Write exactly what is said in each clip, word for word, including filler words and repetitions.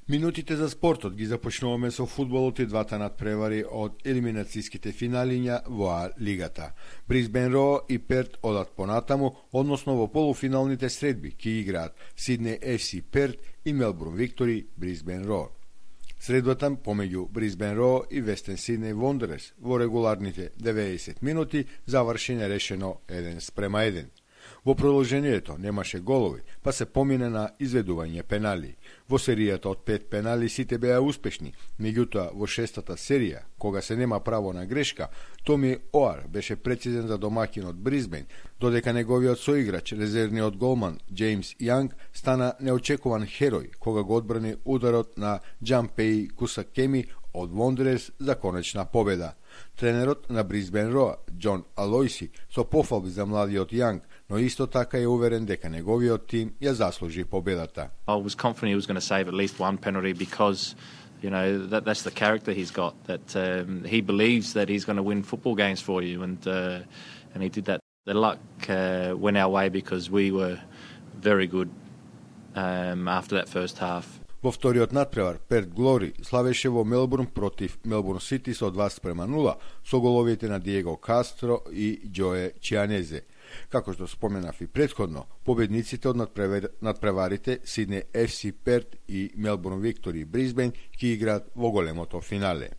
Минутите за спортот ги започнуваме со фудбалот и двата надпревари од елиминацијските финалиња во А лигата. Брисбен Ро и Перт одат понатаму, односно во полуфиналните средби ки играат Сиднеј Еф Си Перт и Мелбурн Виктори Брисбен Ро. Средбата помеѓу Брисбен Ро и Вестен Сиднеј Вондерерс во регуларните деветдесет минути заврши нерешено еден спрема еден. Во продолжението немаше голови, па се помине на изведување пенали. Во серијата од пет пенали сите беа успешни, меѓутоа во шестата серија, кога се нема право на грешка, Томи Оар беше прецизен за домакинот Брисбен, додека неговиот соиграч, резервниот голман Џејмс Јанг, стана неочекуван херој кога го одбрани ударот на Џампеи Кусакеми од Вондерерс за конечна победа. Тренерот на Брисбен Ро, Џон Алојси, со пофалби за младиот Јанг, но исто така е уверен дека неговиот тим ја заслужи победата. I was confident he was going to save at least one penalty because, you know, that that's the character he's got. That um, he believes that he's going to win football games for you, and uh, and he did that. The luck uh, went our way because we were very good um, after that first half. Во вториот надпревар, Перт Глори славеше во Мелбурн против Мелбурн Сити со два спрема нула со головите на Диего Кастро и Џое Чианезе. Како што споменав и претходно, победниците од надпреварите Сиднеј Еф Си Перт и Мелбурн Виктори Брисбен ќе играат во големото финале.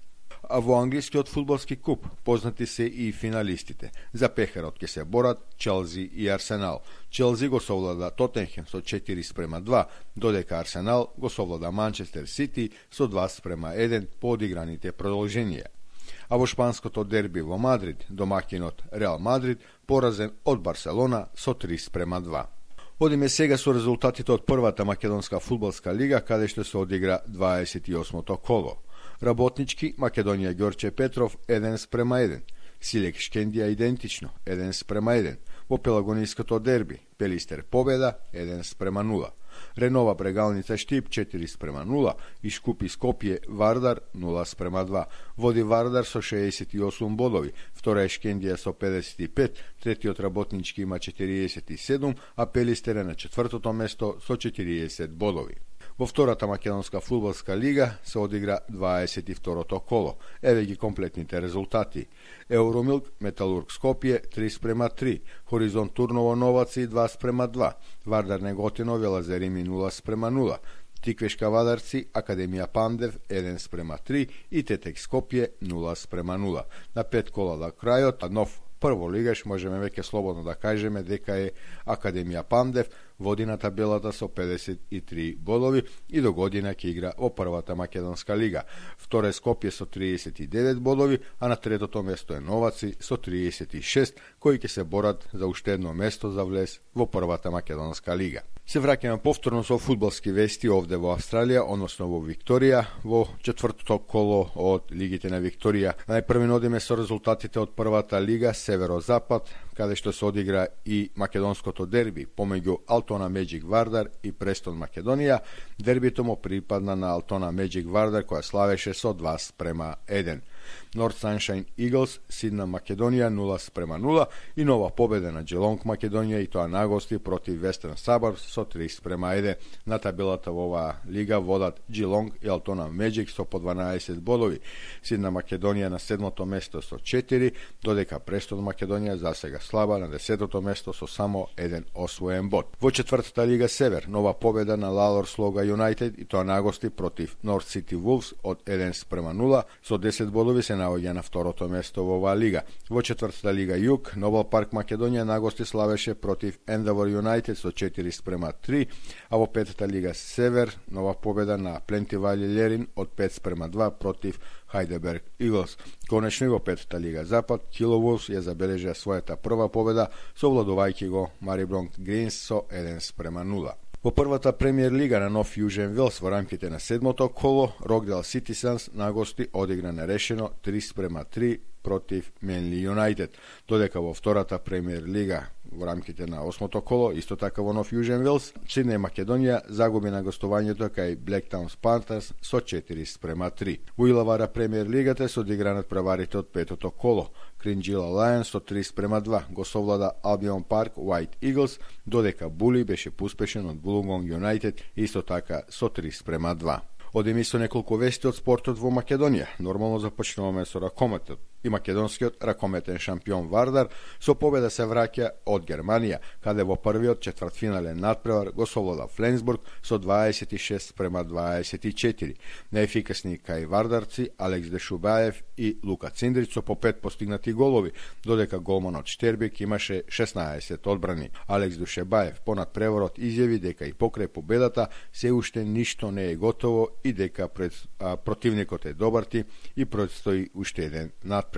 А во англискиот фудбалски куп познати се и финалистите. За пехарот ќе се борат Челси и Арсенал. Челси го совлада Тотенхем со четири спрема два, додека Арсенал го совлада Манчестер Сити со два спрема еден по одиграните продолженија. А во шпанското дерби во Мадрид, домакинот Реал Мадрид поразен од Барселона со три спрема два. Одиме сега со резултатите од првата македонска фудбалска лига, каде што се одигра дваесет и осмото коло. Работнички Македонија Ѓорче Петров еден спрема еден, Силек Шкендија идентично еден спрема еден, во Пелагониското дерби Пелистер победа еден спрема нула, Ренова Брегалница Штип четири спрема нула и Шкупи Скопје Вардар нула спрема два. Води Вардар со шеесет и осум бодови, втора е Шкендија со педесет и пет, третиот Работнички има четириесет и седум, а Пелистер е на четвртото место со четириесет бодови. Во втората македонска фудбалска лига се одигра дваесет и второто коло. Еве ги комплетните резултати. Евромилк Металург Скопје три спрема три, Хоризонт Турново Новаци два спрема два, Вардар Неготино Велазерими нула спрема нула, Тиквешка Вадарци Академија Пандев еден спрема три и Тетек Скопје нула спрема нула. На пет кола до крајот, а нов прво лигаш можеме веќе слободно да кажеме дека е Академија Пандев, води на табелата со педесет и три бодови и до година ќе игра во првата македонска лига. Втора е Скопје со триесет и девет бодови, а на третото место е Новаци со триесет и шест, кои ќе се борат за уште едно место за влез во првата македонска лига. Се враќаме повторно со фудбалски вести овде во Австралија, односно во Викторија, во четвртото коло од Лигите на Викторија. Најпрви одиме со резултатите од првата лига Северо-Запад, каде што се одигра и македонското дерби помеѓу Алтона Меджик Вардар и Престон Македонија. Дербито му припадна на Алтона Меджик Вардар, која славеше со два спрема еден. Норт Саншайн Иглс Сидна Македонија нула спрема нула и нова победа на Джелонг Македонија и тоа нагости против Вестерн Сабарбс со три спрема еден. На табелата во оваа лига водат Джелонг и Алтона Меджик со по дванаесет бодови. Сидна Македонија на седмото место со четири, додека Престон Македонија засега слаба на десетото место со само еден освоен бод. Во четвртата лига Север нова победа на Лалор Слога Юнайтед и тоа нагости против Норт Сити Вулфс од еден спрема нула со десет бодови се наоѓа на второто место во оваа лига. Во четвртата лига Југ Нобел Парк Македонија нагости славеше против Ендавор Юнайтед со четири спрема три, а во петата лига Север нова победа на Пленти Вали Лерин од пет спрема два против Хайдеберг Иглс. Конечно и во петата лига Запад Кило Вулфс ја забележа својата прва победа совладувајќи го Марибронг Гринс со еден спрема нула. Во првата премиер лига на Нов Јужен Велс во рамките на седмото коло Рокдел Ситизенс на гости одигра нерешено три спрема три против Менли Юнайтед, додека во втората премиер лига во рамките на осмото коло, исто така во Нов Јужен Велс, Сиднеј Македонија загуби на гостувањето кај Блектаунс Пантерс со четири спрема три. Во Илавара премиер лигата се одигранат преварите од петото коло. Кринџила Лајонс со три спрема два го совлада Албион Парк White Eagles, додека Були беше пуспешен од Булунгонг Юнайтед исто така со три спрема два. Одеми со неколку вести од спортот во Македонија. Нормално започнуваме со ракометот. И македонскиот ракометен шампион Вардар со победа се враќа од Германија, каде во првиот четвртфинален надпревар го совлада Фленсбург со дваесет и шест према дваесет и четири. Најефикасни кај вардарци Алекс Дешубаев и Лука Циндрич со по пет постигнати голови, додека голманот Штербек имаше шеснаесет одбрани. Алекс Душебаев по надпреварот изјави дека и покрај победата се уште ништо не е готово и дека пред, а, противникот е добар тим и предстои уште еден надпревар.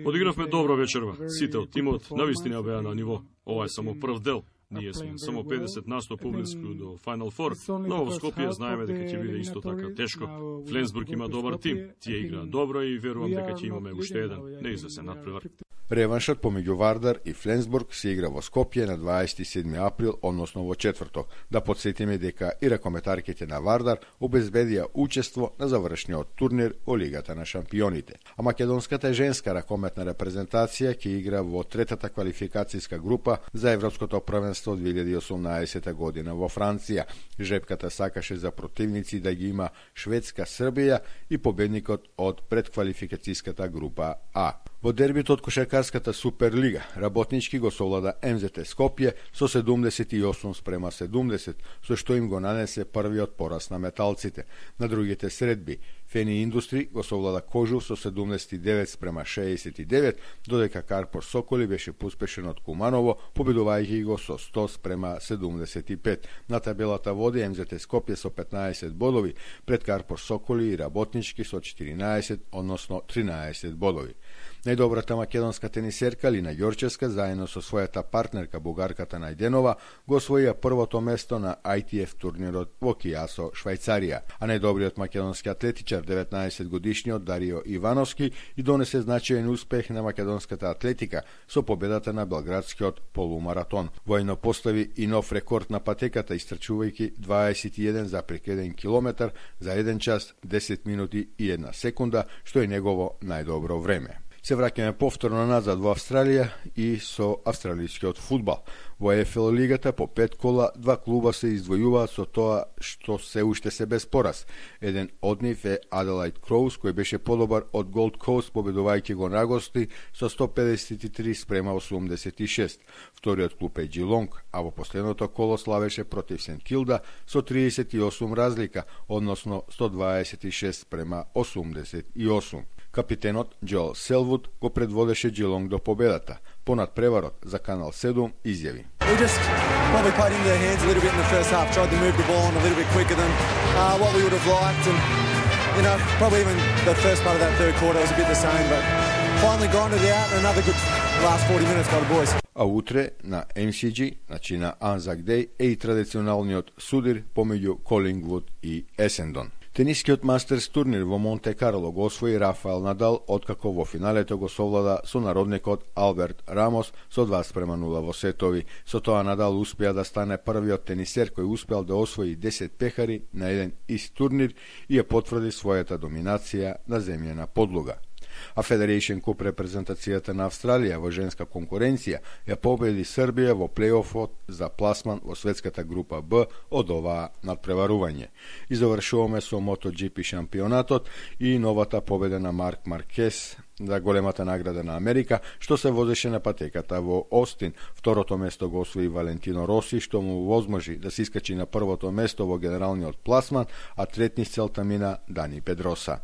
Одигравме добро вечерва. Сите од тимот навистина беа на ниво. Ова е само прв дел. Ние сме само педесет на сто поблиску до Final Four, но во Скопје знаеме дека ќе биде исто така тешко. Фленсбург има добар тим, тие играат добро и верувам дека ќе имаме уште еден неизвесен надпревар. Реваншот помеѓу Вардар и Фленсбург се игра во Скопје на дваесет и седми април, односно во четврток. Да подсетиме дека и ракометарките на Вардар обезбедија учество на завршниот турнир во Лигата на шампионите. А македонската женска ракометна репрезентација ќе игра во третата квалификацијска група за Европското првенство две илјади и осумнаесета година во Франција. Жребката сакаше за противници да ги има Шведска, Србија и победникот од предквалификацијската група А. Во дербито од кошаркарската Суперлига, работнички го совлада Ем Зет Ес Скопје со седумдесет и осум спрема седумдесет, со што им го нанесе првиот пораз на металците. На другите средби, Фени Индустри го совлада Кожув со седумдесет и девет спрема шеесет и девет, додека Карпор Соколи беше пуспешен од Куманово, победувајќи го со сто спрема седумдесет и пет. На табелата води Ем Зет Ес Скопје со петнаесет бодови, пред Карпор Соколи и работнички со четиринаесет, односно тринаесет бодови. Најдобрата македонска тенисерка Лина Ѓорчевска заедно со својата партнерка бугарката Најденова го освоија првото место на Ай Ти Еф турнирот во Кијасо, Швајцарија, а најдобриот македонски атлетичар деветнаесет годишниот Дарио Ивановски и донесе значаен успех на македонската атлетика со победата на белградскиот полумаратон. Војно постави и нов рекорд на патеката истрчувајќи дваесет и еден зарез еден километар за еден час, десет минути и една секунда, што е негово најдобро време. Се враќаме повторно назад во Австралија и со австралискиот фудбал. Во Еф Ел лигата по пет кола два клуба се издвојуваат со тоа што се уште се без пораз. Еден од нив е Аделаид Кроуз, кој беше подобар од Голд Коуст, победувајќи го на гости со сто педесет и три спрема осумдесет и шест. Вториот клуб е Джилонг, а во последното коло славеше против Сент Килда со триесет и осум разлика, односно сто дваесет и шест спрема осумдесет и осум. Капитенот Џоел Селвуд го предводеше Джилонг до победата. Понад преварот за Канал седум изјави. We just probably played into their hands a little bit in the first half, tried to move the ball on a little bit quicker than uh, what we would have liked, and you know, probably even the first part of that third quarter was a bit the same, but finally grinded it out and another good last forty minutes by the boys. А утре на Ем Си Џи, значи на Анзак Деј, е и традиционалниот судир помеѓу Колингвуд и Есендон. Тенискиот мастерс турнир во Монте Карло го освои Рафаел Надал, откако во финалето го совлада со народникот Алберт Рамос со два спрема нула во сетови. Со тоа Надал успеа да стане првиот тенисер кој успеал да освои десет пехари на еден ист турнир и ја потврди својата доминација на земјена подлога. А Федерейшн Куп репрезентацијата на Австралија во женска конкуренција ја победи Србија во плейофот за пласман во светската група Б од оваа надпреварување. И завршуваме со MotoGP шампионатот и новата победа на Марк Маркес за големата награда на Америка, што се возеше на патеката во Остин. Второто место го освои Валентино Роси, што му возможи да се искачи на првото место во генералниот пласман, а третни целта мина Дани Педроса.